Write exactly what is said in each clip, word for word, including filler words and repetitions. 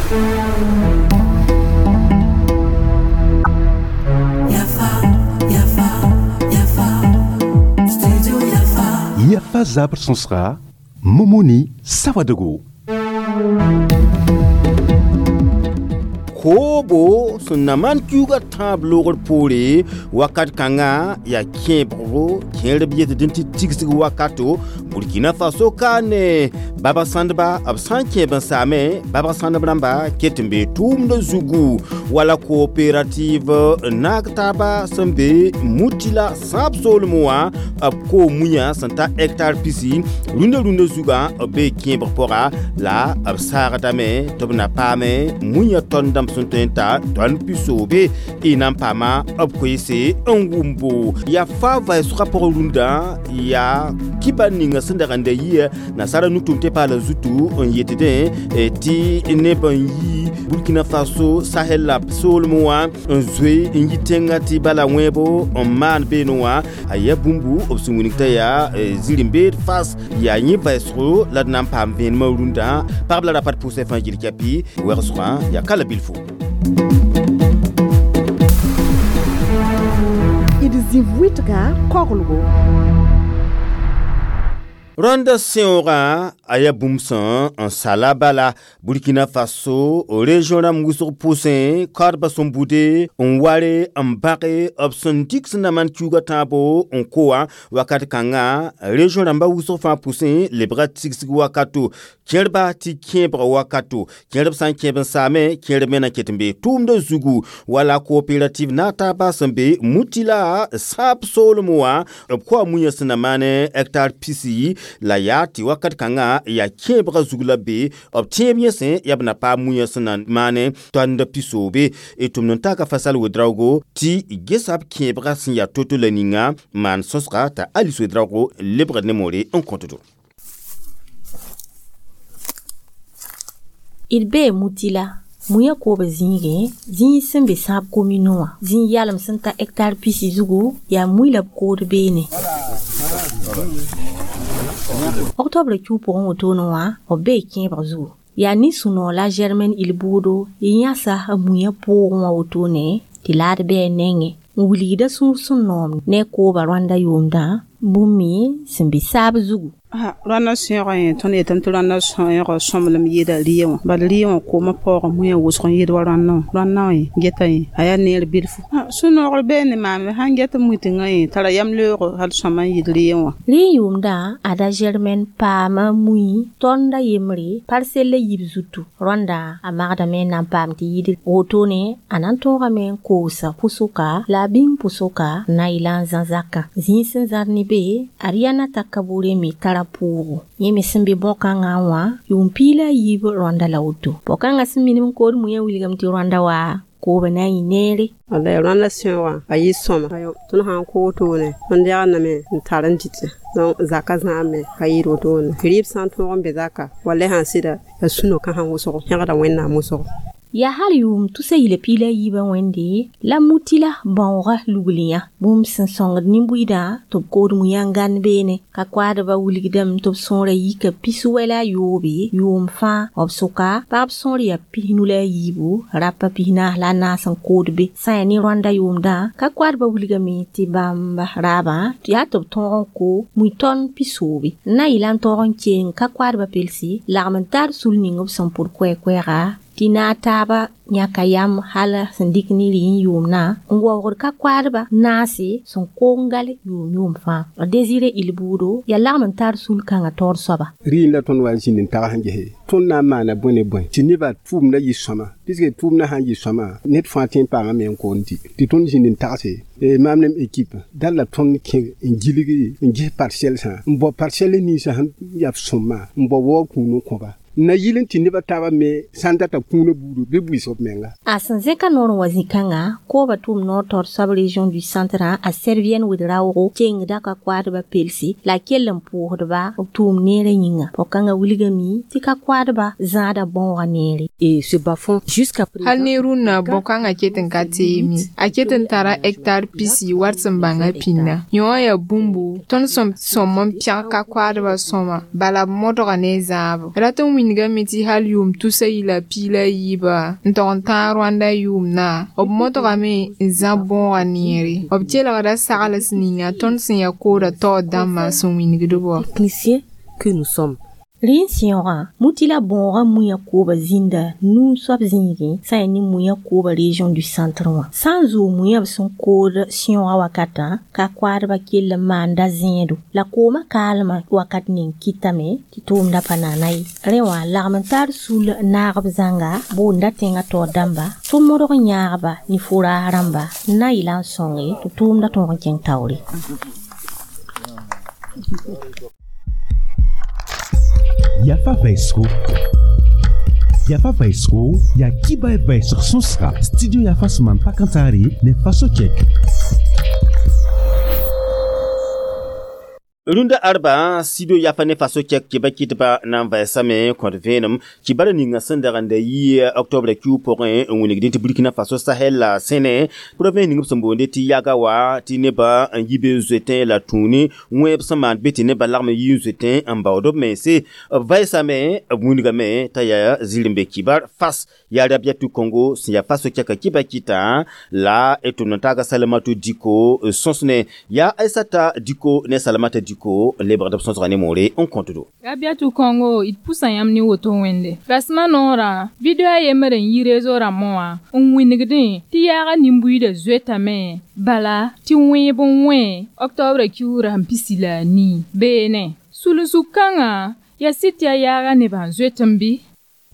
Yafa Zabr Sonsra, Momoni Sawadogo. Kobo sẽn na maan kiuugã tãab loogr poore wakat kãngã yaa kẽebgo kẽerb yetd tɩ tigsg wakato Burkina Faso ka ne baba sãndba b sã n kẽeb n saame babg sãndb rãmba ket n be tʋʋmdã zugu wala coopérative naag taaba sẽn be Mutila sãab soolem wã b koo muyã sẽn ta hectare pisi rũndã rũndã zugã b bee kẽebg pʋga la b saagdame tɩ b na paame muyã tõnd dãmb sẽn tõe n ta tõnd pisoobe y na n paama b koeese n wʋmbo yaa fa vaɩsgã pʋgẽ rũndã yaa kiba ninga sẽn dag n da yia nasaara nu-tʋʋm tɩ paala zutu n yetdẽ tɩ neb n yi Burkina Faso Sahel la soolem wã n zoe n yi tẽngã tɩ bala wẽebo n maan beene wã a yaa bũmbu b sẽn wilg t'a yaa ziri-n-beed fas yaa yẽ vaɩsgo la d na n paam vẽenemã rũndã pagb la rapat pʋʋsã fãa gil kɛpɩ wɛgsgã yaa ka la bilfo. D zĩ wɩtga koglgo. Rwanda sẽoogã a yaa bũmb sẽn n sala bala Burkina Faso région rãmb wʋsg pʋsẽ kaoodbã sẽn bude n ware n bãge b sẽn dɩk sẽn na maan kiuugã tãabo n ko wã wakat kãngã région rãmbã wʋsg fãa pʋsẽ lebga tigsg wakato kẽerba tɩ kẽebg wakato kẽerb sã n kẽeb n saame kẽerb me na ket n bee tʋʋmdã zugu wala coopérative naag taabã sẽn be Mutila sãab soolem wã b koa muyã sẽn na maane hectare pisi la yaa tɩ wakat kãngã yaa kẽebgã zug la be b tẽeb yẽsẽ yaa b na paam muyã sẽn na maane tõnd pisoobe y tʋmd n taaka Fasal Wedraogo tɩ gesa b kẽebgã sẽn yaa to-to la ninga maan sõsga t'a Alice Wedraogo lebgd ne moore n kõtdo. D bee Mutila muyã koob zĩigẽ zĩig sẽn be sãab komino wã zĩig yalem sẽn ta hectare pisi zugu yaa mui la b kood beene. Octobre kiu pʋgẽ wotone wã b bee kẽebg zugu yaa nin-sũ-noog la Germaine Ilbuudo yãsa b muyã pʋʋgẽ wã wotone tɩ laad bɩ a nengẽ n wilgda sũur sẽn noom ne kooba Rwanda yʋʋmdã bũmb me sẽn be saab zugu. Rwanda sẽoogã yẽ tõnd yetame tɩ Rwanda sẽoogã sõmblem yɩɩda rɩɩ wã bala rɩɩ wã koomã paoogã muyã wʋsg n yɩɩd wa Rwanda wã Rwanda wã geta yẽ a yaa neer bilfu sũ-noogr bee ne maame sãn get mui-tẽngã yẽ tara yam leoogo hal sõma n yɩɩd rɩɩ wã. Rɩ yʋʋmdã ada Germaine paama mui tõnda yembre parcelle la yib zutu Rwanda a magdame n na n paam tɩ yɩɩd wotone a na n tõogame n koosa pʋsʋka la a bĩng pʋsʋka n na yɩla n zã zakã zĩig sẽn zãd ne be Ariana Takaboure me tara pʋʋgo yẽ me sẽn be bõn-kãngã wã yʋʋm piig la a yiib Rwanda la woto bõ-kãngã sẽn minim n kood muyã wilgame tɩ Rwanda wa kooba na n yɩ neere. Wallay Rwanda sẽoogã a yɩ sõma tõnd sã n koog toone tõnd yagdame n tar n dɩtẽ donc zaka zãame ka yɩɩd wotone rɩɩb sã n tõog n be zaka wallay sãn sɩda ya sũ-no-kã sãn wʋsgo yẽgda Wẽnnaam wʋsgo. Yaa hal yʋʋm tusa yɩla piig la a yiibã wẽnde la Mutila bãoogã lugliyã bũmb sẽn sõngd nin-buiidã tɩ b kood muyã n gãnd beene ka koaadbã wilgdame tɩ b sõora yika pis-wɛ la a yoobe yʋʋm fãa b sʋka pagb sõor yaa pisnu la a yiibu rapa pis-naas la a naas n kood be sã yaa ne Rwanda yʋʋmdã ka koaadbã wilgame tɩ bãmb raabã yaa tɩ b tõog n ko mui tõnd pisoobe n na yɩla n tõog n keng ka koaadbã pelsi lagm n tar sul ning b sẽn pʋd koɛɛ-koɛɛga tɩ naag taaba yãka yam hal sẽn dɩk ne rɩ n yʋʋmdã n waoogd ka koaadba naase sẽn koong gal yʋʋm yʋʋm fãa Désiré Ilbuudo yaa lagm n tar sul-kãngã taoor soaba. Rɩɩn la tõnd wa n zĩnd n tags n gese tõnd na n maana bõe ne bõe tɩ nebã tʋʋmdã yɩ sõma puisque tʋʋmdã sãn yɩ sõma ned fãa tõe n paamame n koond tɩ tɩ tõnd zĩnd n tagse maam nem équipe dal la tõnd kẽ n gilgi n ges parcelle sã n bao parcelle ninsã sẽn yaa sõma n bao waoog kũun n kõba na yɩl n tɩ nebã taabã me sã n data kũunã buudu bɩ buɩs b menga. A sẽn zẽka noor n wa zĩ-kãngã kooba tʋʋm noor taoor soab région du centre a Servienne Wedraogo kengda ka koaadbã pelsi la a kell n pʋʋsdba b tʋʋm neerã yĩnga pʋg-kãngã wilgame tɩ ka koaadbã zãada bãoogã neere. Et ce bas-fond jusqu'à présent hal ne rũnnã bõn-kãngã ket n ka teeme a ket n tara hectare pisi wat sẽn bãnga pĩnda yõ yaa bũmbu tõnd sẽn sõm n pẽg ka koaadbã sõma bala b modga ne zãabo rat n wĩnda wingame tɩ hal yʋʋm tusa yila piig la yiiba n tog n tãag Rwanda yʋʋmdã b modgame n zãb bõoga neere b kelgda sagls ninga tõnd sẽn yaa koodã taoor dãmbã sẽn wingd bɔ Techniciens que nous sommes. Rẽ sẽoogã mutila bõogã mũyã kooba zĩnda nuu soab zĩigẽ sã n ne mũyã kooba région du centre wã sã n zoog mũyã b sẽn kood sẽoogã wakatã ka koaadbã kell n maanda zẽedo la koomã kaalmã wakat ning kɩtame tɩ tʋʋmda pa naana ye rẽ wã lagm n tar sul naagb zãnga boonda tẽngã taoor dãmba tɩ modg n yãagba ne fʋraas rãmba n na n yɩla n sõnge tɩ tʋʋmda tõog n kẽng taoore. Yafa Vaisro. Yafa Vaisro, ya kiba e vaisr sonsra. Studio Yafa suman pakantari ne faso check. Rũndã arba studio yafa ne faso kɛk kɩba kɩtba na n vɛɛsame kõt vẽenem kibara ninga sẽn dag n da yɩ octobre kiu pʋgẽ n wilgdẽ tɩ Burkina Faso Sahel la sẽne province ning b sẽn boonde tɩ yaga wa tɩ nebã n yi be n zoetẽ la tũuni wẽeb sẽn maan be tɩ nebã lagm n yi n zoetẽ n baood b mense b vɛɛsame b wilgame t'a yaa zir n be kibar fas yaa Rabiatu Congo sẽn yaa faso kɛka kɩba kɩtã la d tʋmd n taaga Salamatu Diko sõsne yaa Aissata Diko ne Salamata Diko lebgd b sõsga ne moore n kõtdo. Rabiatu Congo d pusa yãmb ne woto wẽnde rasmã noorã video a yembr n yi rezo rãmbã wã n wĩnigdẽ tɩ yaaga nin-buiidã zoetame bala tɩ wẽeb n wẽ octobre kiugrã sẽn pisi la a nii beene sulensug kãngã yaa sɩd tɩ yaa yaaga nebã n zoet n bɩ.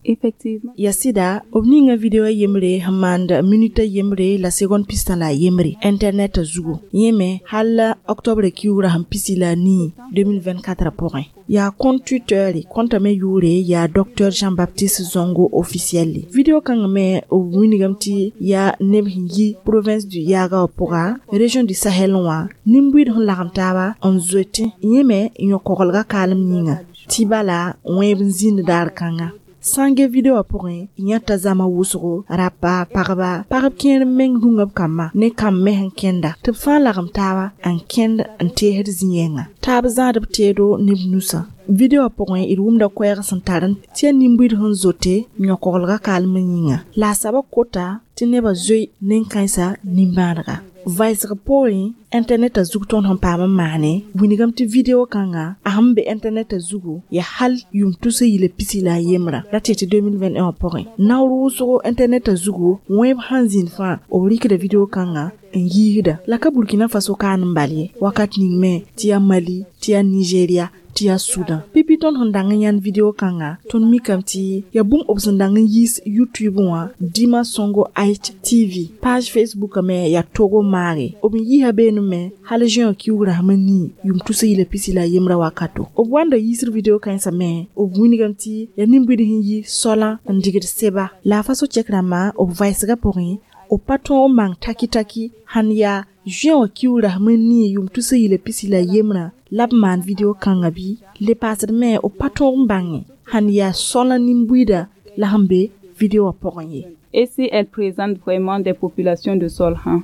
Effectivement. Ya sɩda b ninga video yembre sẽn maand minute yembre la seconde pistã la yembre internet zugu yẽ me hal octobre kiugrã sẽn pisi la a nii deux mille vingt-quatre pʋgẽ yaa compte Twitter compte me yʋʋre yaa Docteur Jean-Baptiste Zongo officiel video kãngã me b wilgame tɩ yaa neb sẽn yi province du Yaga wã pʋga région du Sahel wã nin-buiid sẽn lagem taaba n zoetẽ yẽ me yõ-koglga kaalem yĩnga tɩ bala wẽeb n zĩnd daar kãnga sãn ge video wã pʋgẽ yãta zãma wʋsgo rapa pagba pagb kẽer meng rũngã b kambã ne kamb me sẽn kẽnda tɩ b fãa lagem taaba n kẽnd n teesd zĩ-yɛngã taab zãad b teedo ne b nusã video wã pʋgẽ d wʋmda koɛɛg sẽn tar tɩ yaa nin-buiid sẽn zote yõ-koglga kaalem yĩnga la a soabã kota tɩ nebã zoe nen-kãensã nimbãanega vaɩsg poorẽ internet zug tõnd sẽn paam n maane wilgame tɩ video kãnga a sẽn be internet zugu yaa hal yʋʋm tus yila pisi la a yembrã ra tɩ tɩ deux mille vingt-et-un wã pʋgẽ naoor wʋsgo internet zugu wẽeb sãn zĩnd fãa b rɩkda video kãnga n yiisda la ka Burkina Faso kaan n bal ye wakat ning me tɩ yaa Mali tɩ yaa Nigeria tɩ yaa Sudan pipi tõnd sẽn dang n yãnd video kãnga tõnd mikame tɩ yaa bũmb b sẽn dang n yiis YouTube wã Dima Songo H T V page Facebook me yaa Togo maage b n yiisa beene me hal juin kiugrã sẽm n nii yʋʋm tus yila pisi la a yembrã wakato b wanda yiisd video kãensã me b wilgame tɩ yaa nin-buid sẽn yi solã n digd seba la a faso chɛk rãmbã b vaɩsgã pʋgẽ b pa tõog n mang taki-taki sãn yaa juin wã kiugrã sẽm n nii yʋʋm tus yila pisi la a yembrã la b maan video kãngã bɩ le paasd me b pa tõog n bãnge sãn yaa solã nin-buiida la sẽn be video wã pʋgẽ ye. Et si elle présente vraiment des populations de Solhan?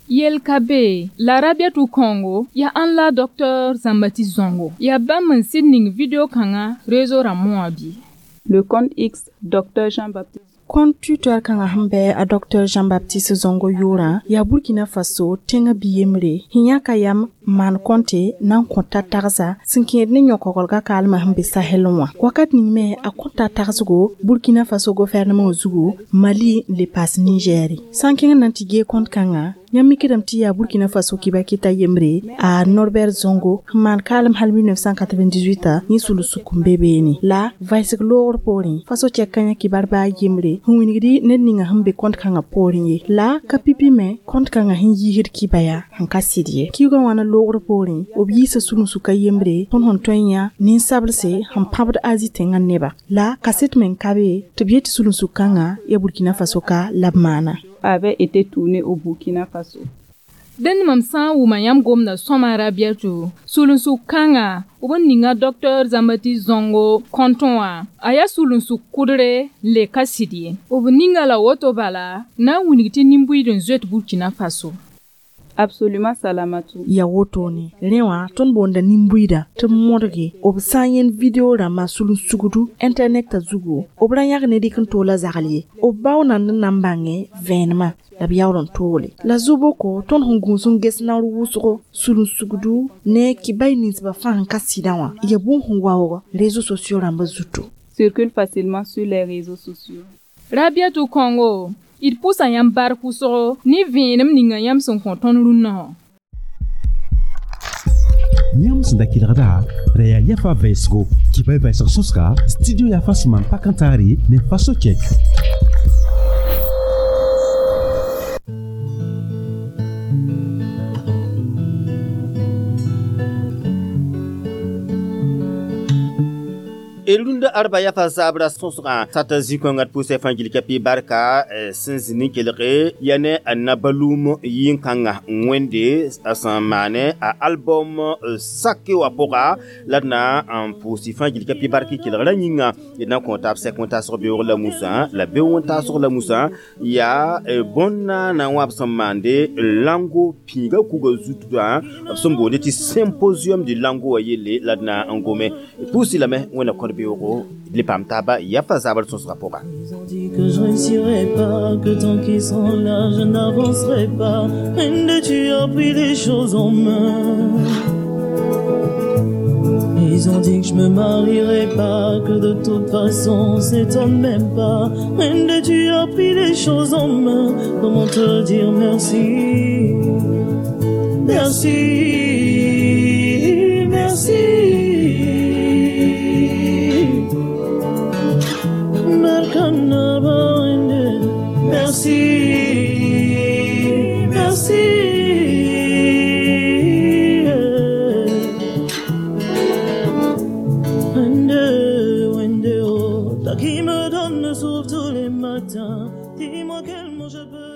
Yel ka be la Rabiatu Congo ya an la Docteur Jean-Baptiste Zongo ya bãmb n sɩd ning video kãngã réseau rãmbã wã bɩ. Le compte X Docteur Jean-Baptiste Compte Twitter kãngã sẽn bɩ a Docteur Jean-Baptiste Zongo yʋʋrã yaa Burkina Faso tẽngã bi-yembre sẽn yãka yam n maan kõnte na n kõ ta-tagsa sẽn kẽed ne yõ-koglga kaalmã sẽn be Sahel wã wakat ning me a kõta tagsgo Burkina Faso gouvernement zugu Mali n le paas Nigɛɛre sã n kẽng na n tɩ gee kõnt kãngã yãmb mikdame tɩ yaa Burkina Faso kɩba kɩta yembre a Norbert Zongo sẽn maan kaalem hal mille neuf cent quatre-vingt-dix-huit yẽ sul-suk n be beene la vaɩsg loogr poorẽ faso chɛk kãyã kibar baa yembre sẽn wilgdi ned ninga sẽn be kõnt kãngã poorẽ ye la ka pipi me kõnt kãngã sẽn yiisd kiba yaa sẽn ka sɩd ye kiugã wãna loogr poorẽ b yiisa sulensʋka yembre tõnd sẽn tõe n yã ninsablse sẽn pãbd Azi tẽngã neba la kaset meng ka be tɩ b yet tɩ sulensʋk kãngã yaa Burkina Faso ka la b maana. Avait été tourné au Burkina Faso. Dẽnd mam sã n wʋma yãmb gomda sõma Rabiatu sulensʋk kãnga b n ninga Docteur Jean-Baptiste Zongo kõntõ wã a yaa sulensʋk kʋdre n le ka sɩd ye b ninga la woto bala na n wilg tɩ nin-buiid n zoet Burkina Faso. Absolument, Salamatou. Ya woto ne rẽ wã tõnd boonda nin-buiidã tɩ b modge b sã n yẽnd video rãmbã sulun-sugdu internet zugu b ra yãg ne rɩk n toola zagl ye b bao nand n na n bãngẽ vẽenemã la b yaool n toole la zu-boko tõnd sẽn gũus n ges naoor wʋsgo sulun-sugdu ne kibay ninsbã fãa sẽn ka sɩdã wã ya bũmb sẽn waoog réseaux sociaux rãmbã zutu Circule facilement sur les réseaux sociaux. Rabiatu Congo d pʋsa yãmb bark wʋsgo ne vẽenem ninga yãmb sẽn kõ tõnd rũnnã wã. Yãmb sẽn da kelgda ra yaa yafa vɛɛsgo kibay vɛɛsg sõsga studio yafa sẽn maan pak n taare ne faso kɛk. Rũndã arba yafa zabra sõsgã sata zĩ-kõengã d pʋʋsã fãa gil ka pɩ barka sẽn zĩ ne kelge ya ne a nabalum yĩn-kãngã wẽnde a sẽn maane a album sake wã pʋga la d na n pʋʋs fãa gil ka pɩ bark kelgrã yĩnga d na n kõ taab sɛk wẽn-taasg beoog la musã la beoog wẽn-taasg la musã yaa bõn-naana wã b sẽn maande lango pĩiga kuga zutdã b sẽn boonde tɩ symposium de lango wã yelle la d na n gome pʋʋs lame wẽnna kõd beoogo le paam taaba yafa zabr sõsgã pʋga. Ils ont dit que je réussirais pas, que tant qu'ils sont là, je n'avancerai pas. Rende, tu as pris les choses en main. Ils ont dit que je me marierais pas, que de toute façon, on s'étonne même pas. Rende, tu as pris les choses en main. Comment te dire merci? Merci, merci. Merci, merci. Wende, wende, oh, toi qui me donne le souffle tous les matins, dis-moi quel mot je peux.